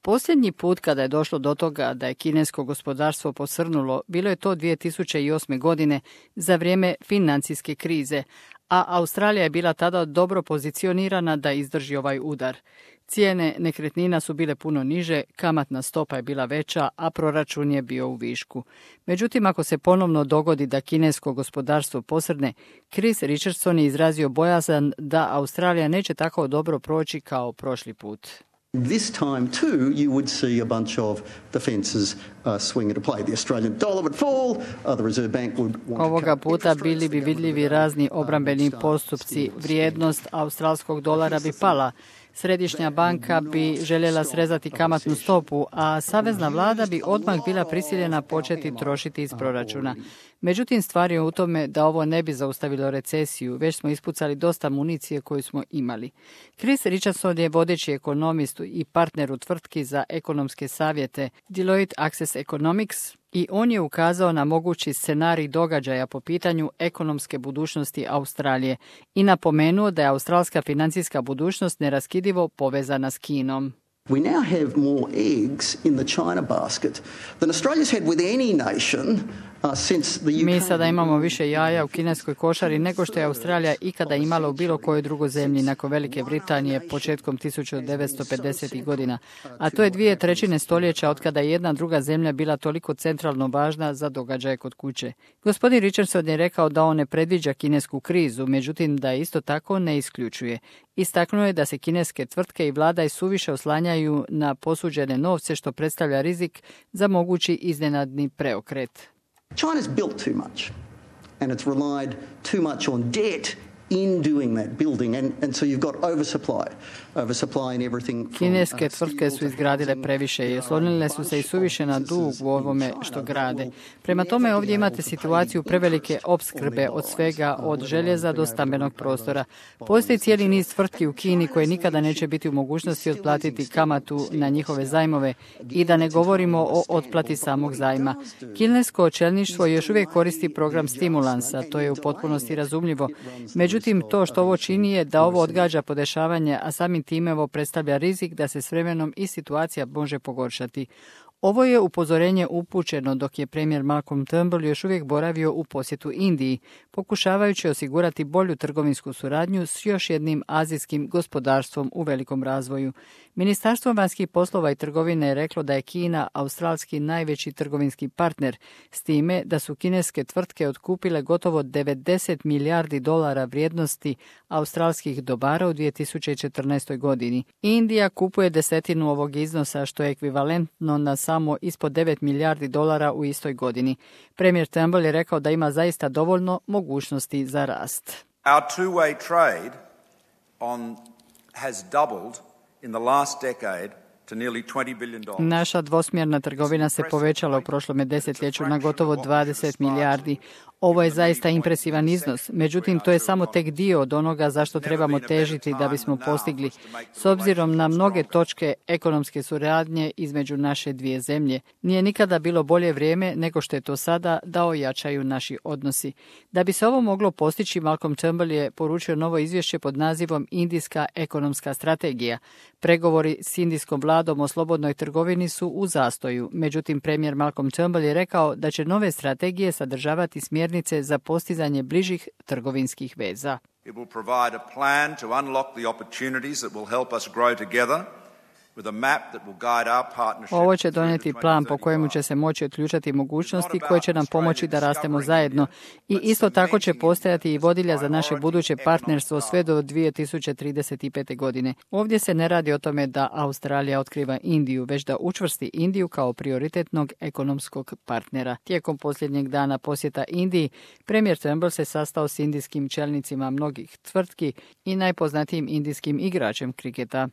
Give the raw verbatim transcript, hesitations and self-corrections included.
Posljednji put kada je došlo do toga da je kinesko gospodarstvo posrnulo, bilo je to dvije tisuće osme. godine za vrijeme financijske krize, a Australija je bila tada dobro pozicionirana da izdrži ovaj udar. Cijene nekretnina su bile puno niže, kamatna stopa je bila veća, a proračun je bio u višku. Međutim, ako se ponovno dogodi da kinesko gospodarstvo posrne, Chris Richardson je izrazio bojazan da Australija neće tako dobro proći kao prošli put. This time too you would see a bunch of the fences uh, swing into play. The Australian dollar would fall, uh, the Reserve Bank would want Ovoga puta bili bi vidljivi razni obrambeni postupci, vrijednost australskog dolara bi pala, Središnja banka bi željela srezati kamatnu stopu, a savezna vlada bi odmah bila prisiljena početi trošiti iz proračuna. Međutim, stvar je u tome da ovo ne bi zaustavilo recesiju, već smo ispucali dosta municije koju smo imali. Chris Richardson je vodeći ekonomist i partner u tvrtki za ekonomske savjete Deloitte Access Economics i on je ukazao na mogući scenarij događaja po pitanju ekonomske budućnosti Australije i napomenuo da je australska financijska budućnost neraskidivo povezana s Kinom. We now have more eggs in the China basket than Australia's had with any nation uh, since the U K. Mi sada imamo više jaja u kineskoj košari nego što je Australija ikada imala u bilo kojoj drugoj zemlji nakon Velike Britanije početkom tisuću devetsto pedesetih. godina. A to je dvije trećine stoljeća od kada je jedna druga zemlja bila toliko centralno važna za događaje kod kuće. Gospodin Richardson je rekao da on ne predviđa kinesku krizu, međutim da isto tako ne isključuje. Istaknuo je da se kineske tvrtke i vlada i suviše oslanjaju na posuđene novce, što predstavlja rizik za mogući iznenadni preokret. China's built too much and it's relied too much on debt in doing that building, and, and so you've got oversupply, oversupply in everything. From, Kineske uh, tvrtke su izgradile previše i oslonile su se i suviše na dug u ovome što grade. Prema tome ovdje imate situaciju prevelike opskrbe od svega, od željeza do stambenog prostora. Postoji cijeli niz tvrtki u Kini koje nikada neće biti u mogućnosti otplatiti kamatu na njihove zajmove i da ne govorimo o otplati samog zajma. Kinesko čelništvo još uvijek koristi program stimulansa, to je u potpunosti razumljivo. Međutim, Međutim, to što ovo čini je da ovo odgađa podešavanje, a samim time ovo predstavlja rizik da se s vremenom i situacija može pogoršati. Ovo je upozorenje upućeno dok je premijer Malcolm Turnbull još uvijek boravio u posjetu Indiji, pokušavajući osigurati bolju trgovinsku suradnju s još jednim azijskim gospodarstvom u velikom razvoju. Ministarstvo vanjskih poslova i trgovine je reklo da je Kina australski najveći trgovinski partner, s time da su kineske tvrtke otkupile gotovo devedeset milijardi dolara vrijednosti australskih dobara u dvije tisuće četrnaestoj. godini. Indija kupuje desetinu ovog iznosa, što je ekvivalentno na samo ispod devet milijardi dolara u istoj godini. Premijer Turnbull je rekao da ima zaista dovoljno mogućnosti za rast. Our two-way trade on has doubled in the last decade to nearly twenty billion dollars. Naša dvosmjerna trgovina se povećala u prošlom desetljeću na gotovo dvadeset milijardi. Ovo je zaista impresivan iznos, međutim to je samo tek dio od onoga zašto trebamo težiti da bismo postigli, s obzirom na mnoge točke ekonomske suradnje između naše dvije zemlje. Nije nikada bilo bolje vrijeme nego što je to sada da ojačaju naši odnosi. Da bi se ovo moglo postići, Malcolm Turnbull je poručio novo izvješće pod nazivom Indijska ekonomska strategija. Pregovori s indijskom vladom o slobodnoj trgovini su u zastoju, međutim premijer Malcolm Turnbull je rekao da će nove strategije sadržavati smjernice za postizanje bližih trgovinskih veza. It will provide a plan to unlock the opportunities that will help us grow together. Ovo će donijeti plan po kojemu će se moći otključati mogućnosti koje će nam pomoći da rastemo zajedno i isto tako će postojati i vodilja za naše buduće partnerstvo sve do dvije tisuće trideset pete. godine. Ovdje se ne radi o tome da Australija otkriva Indiju, već da učvrsti Indiju kao prioritetnog ekonomskog partnera. Tijekom posljednjeg dana posjeta Indiji, premijer Turnbull se sastao s indijskim čelnicima mnogih tvrtki i najpoznatijim indijskim igračem kriketa.